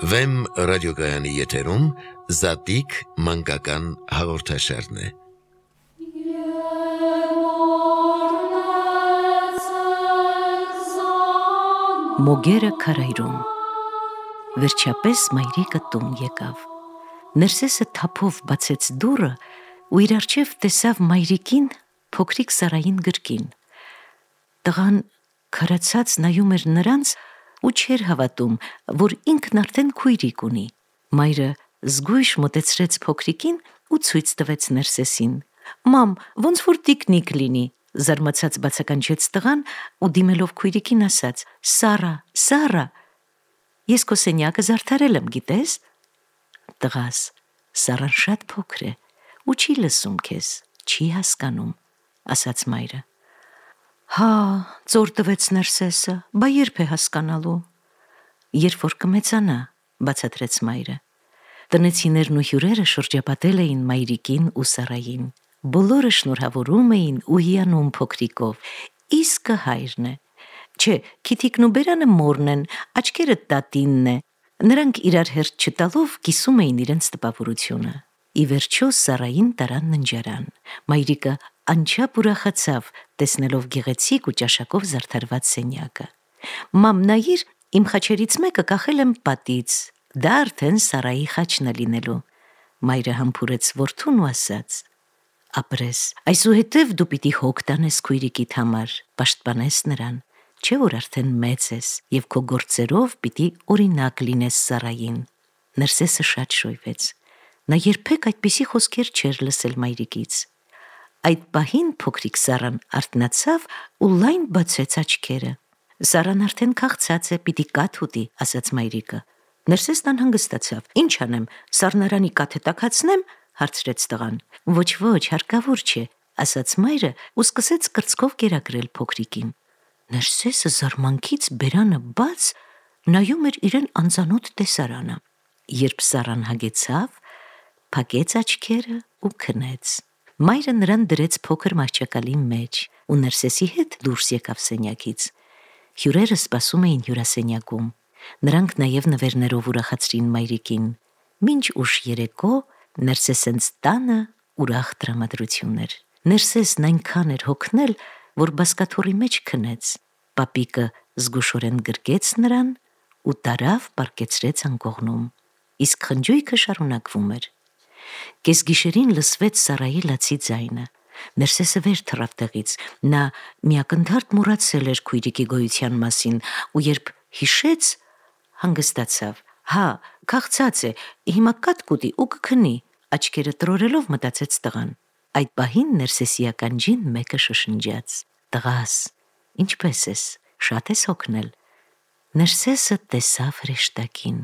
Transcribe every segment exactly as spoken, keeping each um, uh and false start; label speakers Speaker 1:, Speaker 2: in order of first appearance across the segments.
Speaker 1: Վեմ ռադիոգայանի եթերում Զատիկ մանկական հաղորդաշարն է։
Speaker 2: Մոգերը քարայրում։ Վերջապես մայրիկը տուն եկավ։ Ներսեսը թափով բացեց դուռը ու իր առջև տեսավ մայրիկին փոքրիկ Սարային գրկին։ Տղան քարացած նայում էր նրանց ու չէր հավատում, որ ինքն արդեն քույրիկ ունի։ Մայրը զգույշ մոտեցրեց փոքրիկին ու ցույց տվեց Ներսեսին։ «Մամ, ոնց որ տիկնիկ լինի», զարմացած բացականչեց տղան ու դիմելով քույրիկին ասաց. «Սարա, Սարա, ես քո սենյակը զարդարել եմ, գիտես»։ Տղաս, Սարան շատ փոքր է ու չի լսում քեզ, չի հասկանում, ասաց մայրը։ Հա, ծոր տվեց Ներսեսը, բա երբ է հասկանալու։ Երբ որ կմեծանա, բացատրեց մայրը։ Տնեցիներն ու հյուրերը շրջապատել էին մայրիկին ու Սարային։ Բոլորը շնորհավորում էին ու հիանում փոքրիկով։ Իսկը հայրն է։ Չէ, Քիթիկն ու Բերանը մորն են, աչքերը տատինն է։ Նրանք իրար հերթ չտալով կիսում էին իրենց տպավորությունը։ Ի վերջո Սարային տարան ննջարան։ Մայրիկը անչափ ուրախացավ, տեսնելով գեղեցիկ ու ճաշակով զարդարված սենյակը։ Մամ, նայիր, իմ խաչերից մեկը կախել եմ պատից, դա արդեն Սարայի խաչն է լինելու։ Մայրը համբուրեց որդուն ու ասաց. Ապրես, այսուհետև դու պիտի հոգ տանես քույրիկիդ համար, պաշտպանես նրան, չէ որ արդեն մեծ ես և քո գործերով պիտի օրինակ լինես Սարային։ Ներսեսը շատ շոյվեց։ Նա երբեք այդպիսի խոսքեր չէր լսել մայրիկից։ Այդ պահին փոքրիկ Սարան արթնացավ ու լայն բացեց աչքերը։ Սարան արդեն քաղցած է, պիտի կաթ ուտի, ասաց մայրիկը։ Ներսեսն անհանգստացավ. Ինչ անեմ, սառնարանի կաթը տաքացնեմ, հարցրեց տղան։ Ոչ, ոչ, հարկավոր չէ, ասաց մայրը ու սկսեց կրծքով կերակրել փոքրիկին։ Ներսեսը զարմանքից բերանը բաց նայում էր իրեն անծանոթ տեսարանը։ Երբ Սարան հագեցավ, փակեց աչքերը ու քնեց։ Մայրը նրան դրեց փոքր մահճակալի մեջ ու Ներսեսի հետ դուրս եկավ սենյակից։ Հյուրերը սպասում էին հյուրասենյակում։ Նրանք նաև նվերներով ուրախացրին մայրիկին։ Մինչ ուշ երեկո Ներսեսենց տանը ուրախ տրամադրություն էր։ Ներսեսն այնքան էր հոգնել, որ բազկաթոռի մեջ քնեց։ Պապիկը զգուշորեն գրկեց նրան ու տարավ պառկեցրեց անկողնում։ Իսկ խնջույքը շարունակվում էր։ Կեսգիշերին լսվեց Սարայի լացի ձայնը։ Ներսեսը վեր թռավ տեղից։ Նա միակնդարտ մոռացել էր քույրիկի գոյության մասին ու երբ հիշեց, հանգստացավ։ Հա, քաղցած է, հիմա կաթ կուտի ու կքնի, աչքերը տրորելով մտածեց տղան։ Այդ պահին Ներսեսի ականջին մեկը շշնջաց. Տղաս, ինչպես ես, շատ ես հոգնել։ Ներսեսը տեսավ հրեշտակին։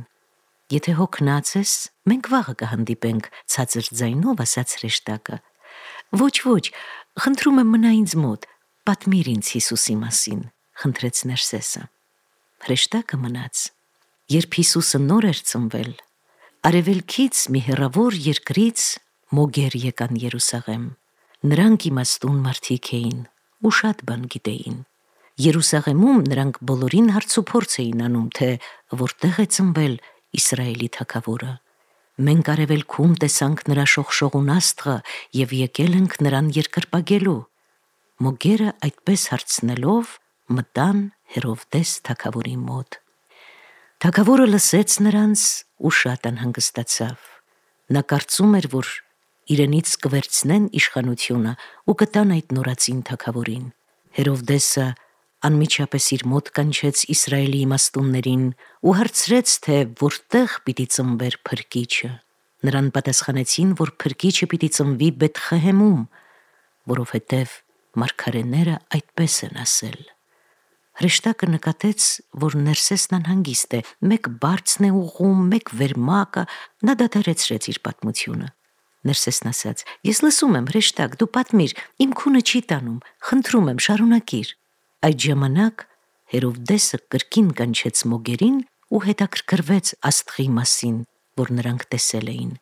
Speaker 2: Եթե հոգնած ես, մենք վաղը կհանդիպենք, ցածր ձայնով ասաց հրեշտակը։ Ոչ, ոչ, խնդրում եմ մնա ինձ մոտ, պատմիր ինձ Հիսուսի մասին, խնդրեց Ներսեսը։ Հրեշտակը մնաց։ Երբ Հիսուսը նոր էր ծնվել, արևելքից մի հեռավոր երկրից մոգեր եկան Երուսաղեմ։ Նրանք իմաստուն մարդիկ էին ու շատ բան գիտեին։ Երուսաղեմում նրանք բոլորին հարցուփորձ էին անում, թե որտեղ է ծնվել Իսրայելի թագավորը։ Մենք արևելքում տեսանք նրա շողշողուն աստղը և եկել ենք նրան երկրպագելու։ Մոգերը այդպես հարցնելով մտան Հերովդես թագավորի մոտ։ Թագավորը լսեց նրանց ու շատ անհանգստացավ։ Նա կարծում էր, որ իրենից կվերցնեն իշխանությունը ու կտան այդ նորածին թագավորին։ Հերովդեսը անմիջապես իր մոտ կանչեց Իսրայելի իմաստուններին ու հարցրեց, թե որտեղ պիտի ծնվեր փրկիչը։ Նրան պատասխանեցին, որ փրկիչը պիտի ծնվի Բեթխեհեմում, որովհետև մարգարեները այդպես են ասել։ Հրեշտակը նկատեց, որ Ներսեսն անհանգիստ է, մեկ բարձն է ուղղում, մեկ վերմակը, նա դադարեցրեց իր պատմությունը։ Ներսեսն ասաց. Ես լսում եմ, հրեշտակ, դու պատմիր, իմ քունը չի տանում, խնդրում եմ, շարունակիր։ Այդ ժամանակ Հերովդեսը կրկին կանչեց մոգերին ու հետաքրքրվեց աստղի մասին, որ նրանք տեսել էին։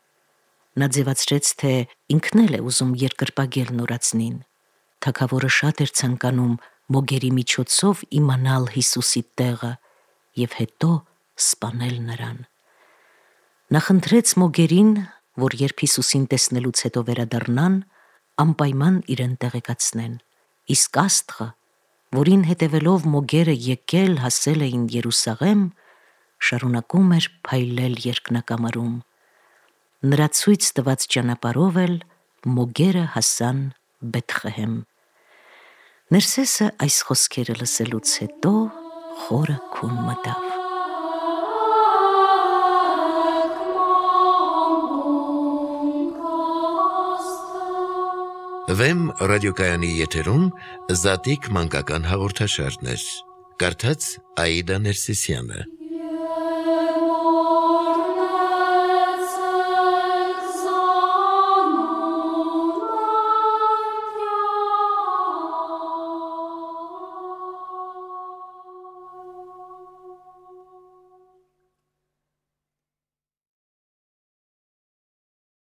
Speaker 2: Նա ձևացրեց, թե ինքն էլ է ուզում երկրպագել նորածնին։ Թագավորը շատ էր ցանկանում մոգերի միջոցով իմանալ Հիսուսի տեղը և հետո սպանել նրան։ Նա խնդրեց Մոգերին, որ երբ Հիսուսին տեսնելուց հետո վերադառնան, անպայման իրեն տեղեկացնեն։ Իսկ Աստղը, որին հետևելով Մոգերը եկել հասել էին Երուսաղեմ, շարունակում էր փայլել երկնակամարում։ Նրա ցույց տված ճանապարհով էլ Մոգերը հասան Բեթխեհեմ։ Ներսեսը այս խոսքերը լսելուց հետո խորը քուն մտավ։
Speaker 1: Վեմ ռադիոկայանի եթերում Զատիկ մանկական հաղորդաշարներ։ Կարդաց Աիդա Ներսիսյանը։